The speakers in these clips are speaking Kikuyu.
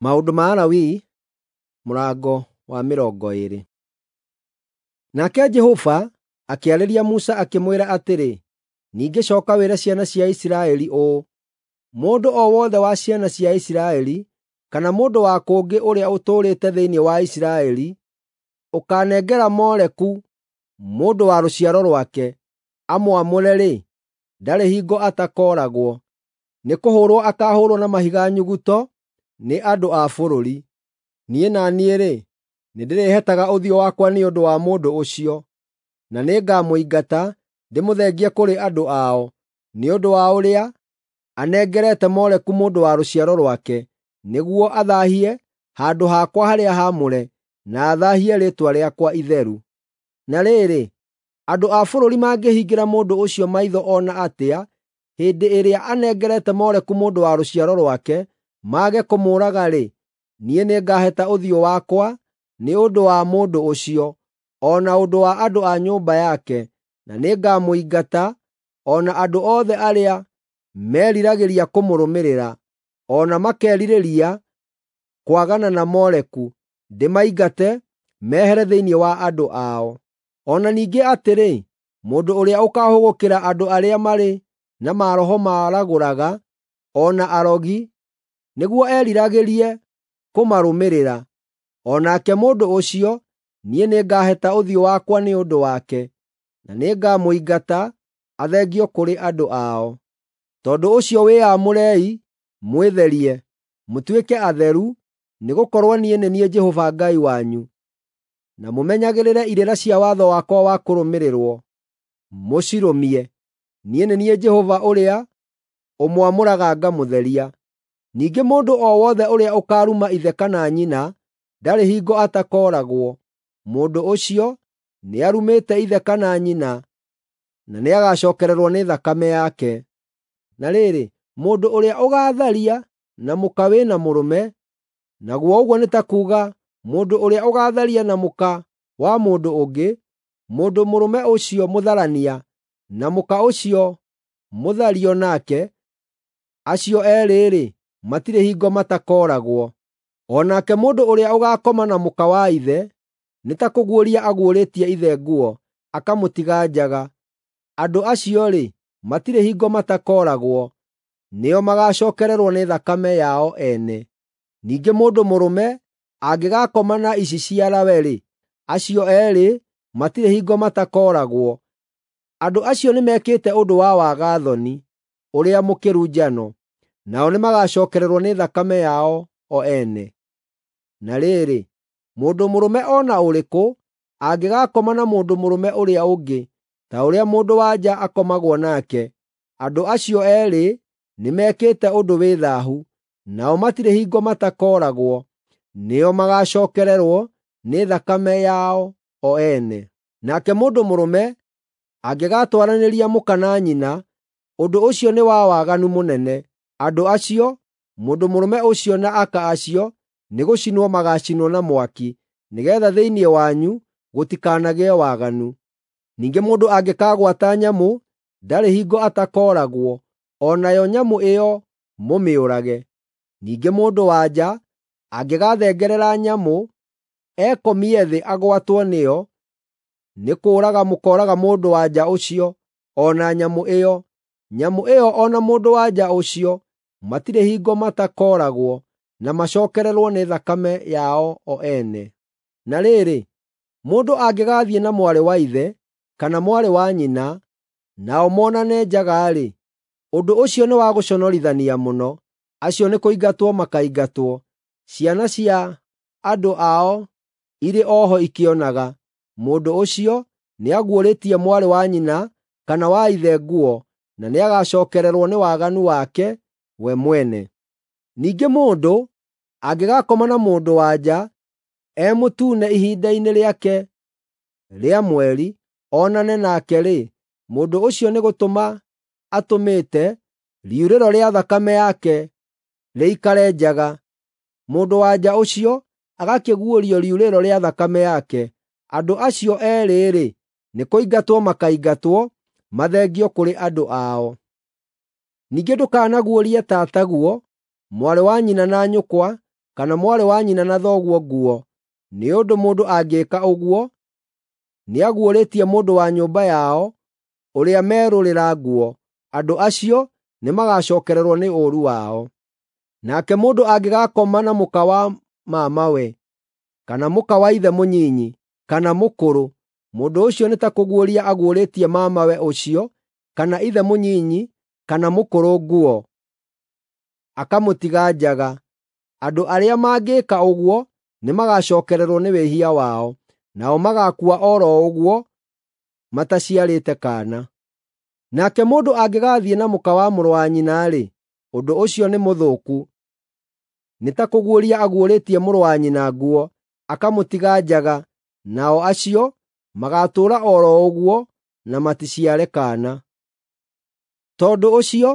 Maũndũ ma Alawii mũrango wa 20. Nake Jehova akĩarĩria Musa akĩmwĩra atĩrĩ, “Ningĩ cooka wĩre ciana cia Isiraeli ũũ: Mũndũ o wothe wa ciana cia Isiraeli, kana mũndũ wa kũngĩ ũrĩa ũtũũrĩte thĩinĩ wa Isiraeli, ũkaanengera Moleku mũndũ wa rũciaro rwake, amwamũre-rĩ, ndarĩ hingo atakooragwo. Nĩkũhũũrwo akaahũũrwo na mahiga nyuguto nĩ andũ a bũrũri. Niĩ na niĩ-rĩ, nĩndĩrĩhetaga ũthiũ wakwa nĩ ũndũ wa mũndũ ũcio, na nĩngamũingata ndĩmũthengie kũrĩ andũ ao, nĩ ũndũ wa ũrĩa anengerete Moleku mũndũ wa rũciaro rwake, nĩguo athaahie handũ hakwa harĩa haamũre, na athaahie rĩĩtwa rĩakwa itheru. Na rĩrĩ, andũ a bũrũri mangĩhingĩra mũndũ ũcio maitho o na atĩa hĩndĩ ĩrĩa anengerete Moleku mũndũ wa rũciaro rwake, mage kũmũũraga-rĩ, niĩ nĩngaheta ũthiũ wakwa nĩ ũndũ wa mũndũ ũcio, o na ũndũ wa andũ a nyũmba yake, na nĩngamũingata, o na andũ othe arĩa meriragĩria kũmũrũmĩrĩra, o na makerirĩria kwagana na Moleku, ndĩmaingate mehere thĩinĩ wa andũ ao. O na ningĩ atĩrĩ, mũndũ ũrĩa ũkaahũgũkĩra andũ arĩa marĩ na maroho maragũraga, o na arogi, nĩguo eriragĩrie kũmarũmĩrĩra, o nake mũndũ ũcio niĩ nĩngaheta ũthiũ wakwa nĩ ũndũ wake, na nĩngamũingata athengio kũrĩ andũ ao. Tondũ ũcio wĩyamũrei mwĩtherie, mũtuĩke atheru, nĩgũkorwo niĩ nĩ niĩ Jehova Ngai wanyu. Na mũmenyagĩrĩre irĩra cia watho wakwa wa kũrũmĩrĩrwo, mũcirũmie. Niĩ nĩ niĩ Jehova ũrĩa ũmwamũraga ngamũtheria. Ningĩ mũndũ o wothe ũrĩa ũkaaruma ithe kana nyina ndarĩ hingo atakooragwo. Mũndũ ũcio nĩarumĩte ithe kana nyina, na nĩagacookererwo nĩ thakame yake. Na rĩrĩ, mũndũ ũrĩa ũgaatharia na mũka wĩ na mũrũme, naguo ũguo nĩ ta kuuga mũndũ ũrĩa ũgaatharia na mũka wa mũndũ ũngĩ, mũndũ mũrũme ũcio mũtharania na mũka ũcio mũthario nake, acio eerĩ-rĩ, matirĩ hingo matakooragwo. O nake mũndũ ũrĩa ũgaakoma na mũka wa ithe, nĩ ta kũguũria aguũrĩtie ithe nguo, akamũtiga njaga. Andũ acio-rĩ, matirĩ hingo matakooragwo, nĩo magaacookererwo nĩ thakame yao ene. Ningĩ mũndũ mũrũme angĩgaakoma na iciciarawe-rĩ, acio eerĩ matirĩ hingo matakooragwo. Andũ acio nĩmekĩte ũndũ wa waga-thoni ũrĩa mũkĩru njano, nao nĩmagacookererwo nĩ thakame yao o ene. Na rĩrĩ, mũndũ mũrũme o na ũrĩkũ angĩgaakoma na mũndũ mũrũme ũrĩa ũngĩ, ta ũrĩa mũndũ-wa-nja akomagwo nake, andũ acio eerĩ nĩmekĩte ũndũ wĩ thaahu, nao matirĩ hingo matakooragwo, nĩo magaacookererwo nĩ thakame yao o ene. Nake mũndũ mũrũme angĩgaatwaranĩria mũka na nyina, ũndũ ũcio nĩ wa waganu mũnene. Andũ acio, mũndũ mũrũme ũcio na aka acio, nĩgũcinwo magaacinwo na mwaki, nĩgeetha thĩinĩ wanyu gũtikanagĩe waganu. Ningĩ mũndũ angĩkaagwata nyamũ, ndarĩ hingo atakooragwo, o nayo nyamũ ĩyo mũmĩũrage. Ningĩ mũndũ-wa-nja angĩgaathengerera nyamũ, ekomie thĩ agwatwo nĩyo, nĩ kũũraga mũkooraga mũndũ-wa-nja ũcio o na nyamũ ĩyo. Nyamũ ĩyo o na mũndũ-wa-nja ũcio matirĩ hingo matakooragwo, na macookererwo nĩ thakame yao o ene. Na rĩrĩ, mũndũ angĩgaathiĩ na mwarĩ wa ithe kana mwarĩ wa nyina, nao monane njaga-rĩ, ũndũ ũcio nĩ wa gũconorithania mũno. Acio nĩkũingatwo makaingatwo, ciana cia andũ ao irĩ o ho ikĩonaga. Mũndũ ũcio nĩaguũrĩtie mwarĩ wa nyina kana wa ithe nguo, na nĩagacookererwo nĩ waganu wake we mwene. Ningĩ mũndũ angĩgaakoma na mũndũ-wa-nja e mũtune ihinda-inĩ rĩake rĩa mweri, onane nake-rĩ, mũndũ ũcio nĩgũtũma atũmĩte riurĩro rĩa thakame yake rĩikare njaga. Mũndũ-wa-nja ũcio agakĩguũrio riurĩro rĩa thakame yake. Andũ acio eerĩ-rĩ, nĩkũingatwo makaingatwo mathengio kũrĩ andũ ao. Ningĩ ndũkanaguũrie tataguo, mwarĩ wa nyina na nyũkwa, kana mwarĩ wa nyina na thoguo nguo, nĩ ũndũ mũndũ angĩĩka ũguo, nĩaguũrĩtie mũndũ wa nyũmba yao ũrĩa merũrĩra nguo. Andũ acio nĩmagacookererwo nĩ ũũru wao. Nake mũndũ angĩgaakoma na mũka wa mamawe, kana mũka wa ithe mũnyinyi, kana mũkũrũ, mũndũ ũcio nĩ ta kũguũria aguũrĩtie mamawe ũcio, kana ithe mũnyinyi, kana mũkũrũ nguo, akamũtiga njaga. Andũ arĩa mangĩĩka ũguo nĩmagacookererwo nĩ wĩhia wao, nao magaakua o ro ũguo mataciarĩte kaana. Nake mũndũ angĩgaathiĩ na mũka wa mũrũ wa nyina-rĩ, ũndũ ũcio nĩ mũthũku. Nĩ ta kũguũria aguũrĩtie mũrũ wa nyina nguo, akamũtiga njaga, nao acio magaatũũra o ro ũguo na maticiare kaana. Tondũ ũcio,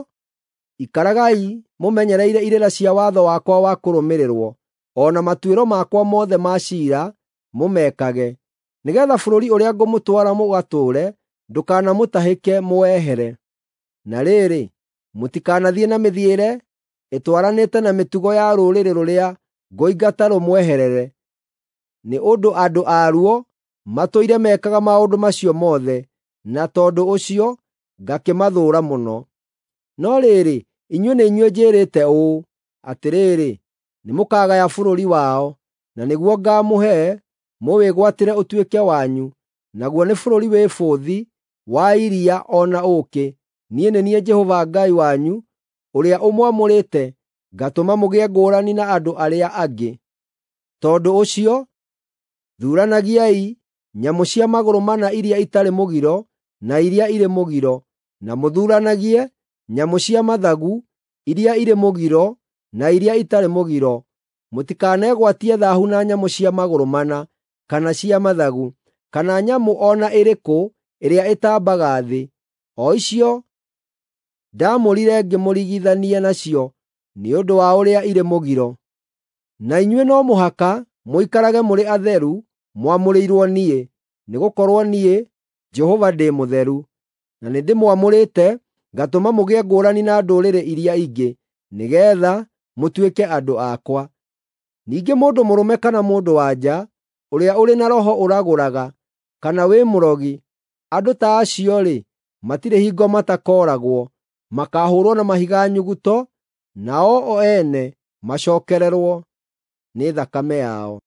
ikaragai mũmenyereire irĩra cia watho wakwa wa kũrũmĩrĩrwo, o na matuĩro makwa mothe ma ciira mũmekage, nĩgeetha bũrũri ũrĩa ngũmũtwara mũgatũũre ndũkanamũtahĩke mũwehere. Na rĩrĩ, mũtikanathiĩ na mĩthiĩre ĩtwaranĩte na mĩtugo ya rũrĩrĩ rũrĩa ngũingata rũmweherere, nĩ ũndũ andũ aruo matũire mekaga maũndũ macio mothe, na tondũ ũcio ngakĩmathũũra mũno. No rĩrĩ, inyuĩ nĩ inyuĩ njĩrĩte ũũ, atĩrĩrĩ, nĩmũkagaya bũrũri wao, na nĩguo ngaamũhe mũwĩgwatĩre ũtuĩke wanyu, naguo nĩ bũrũri wĩ bũthi wa iria o na ũũkĩ. Niĩ nĩ niĩ Jehova Ngai wanyu, ũrĩa ũmwamũrĩte ngatũma mũgĩe ngũrani na andũ arĩa angĩ. Tondũ ũcio, thuuranagiai nyamũ cia magũrũ mana iria itarĩ mũgiro na iria irĩ mũgiro, na mũthuuranagie nyamũ cia mathagu iria irĩ mũgiro na iria itarĩ mũgiro. Mũtikanegwatie thaahu na nyamũ cia magũrũ mana, kana cia mathagu, kana nyamũ o na ĩrĩkũ ĩrĩa ĩtambaga thĩ, o icio ndaamũrire ngĩmũrigithania nacio nĩ ũndũ wa ũrĩa irĩ mũgiro. Na inyuĩ no mũhaka mũikarage mũrĩ atheru mwamũrĩirwo niĩ, nĩgũkorwo niĩ, Jehova, ndĩ mũtheru, na nĩndĩmwamũrĩte ngatũma mũgĩe ngũrani na ndũrĩrĩ iria ingĩ, nĩgeetha mũtuĩke andũ akwa. Ningĩ mũndũ mũrũme kana mũndũ-wa-nja ũrĩa ũrĩ na roho ũragũraga, kana wĩ mũrogi, andũ ta acio-rĩ, matirĩ hingo matakooragwo, makaahũũrwo na mahiga nyuguto, nao o ene macookererwo nĩ thakame yao.